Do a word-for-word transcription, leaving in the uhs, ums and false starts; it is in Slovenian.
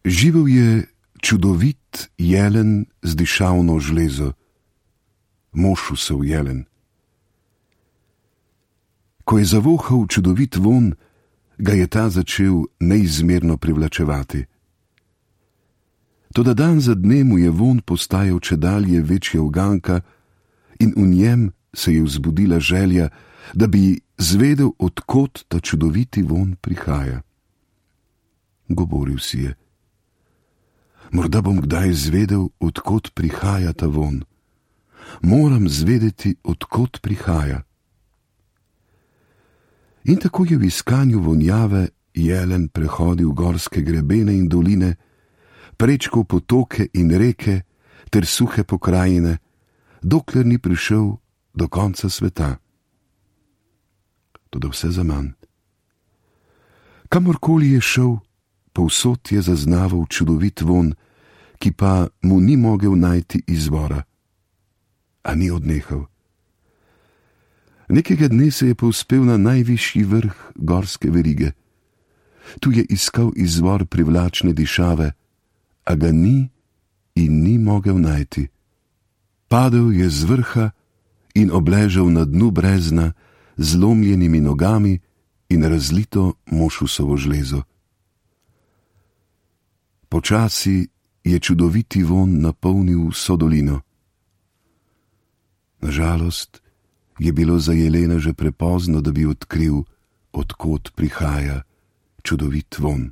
Živel je čudovit jelen z dišavno žlezo, Mošusov jelen. Ko je zavohal čudovit von, ga je ta začel neizmerno privlačevati. Toda dan za dnem mu je von postajal čedalje večja uganka in v njem se je vzbudila želja, da bi zvedel, od kod ta čudoviti von prihaja. Govoril si je: morda bom kdaj zvedel, od kod prihaja ta von. Moram zvedeti, od kod prihaja. In tako je v iskanju vonjave jelen prehodil gorske grebene in doline, prečkal potoke in reke ter suhe pokrajine, dokler ni prišel do konca sveta. Toda vse zaman. Kamorkoli je šel, povsod je zaznaval čudovit von, ki pa mu ni mogel najti izvora. A ni odnehal. Nekega dne se je povzpel na najvišji vrh gorske verige. Tu je iskal izvor privlačne dišave, a ga ni in ni mogel najti. Padel je z vrha in obležal na dnu brezna z zlomljenimi nogami in razlito mošusovo žlezo. Počasi je čudoviti von napolnil vso dolino. Nažalost je bilo za jelena že prepozno, da bi odkril, od kod prihaja čudovit von.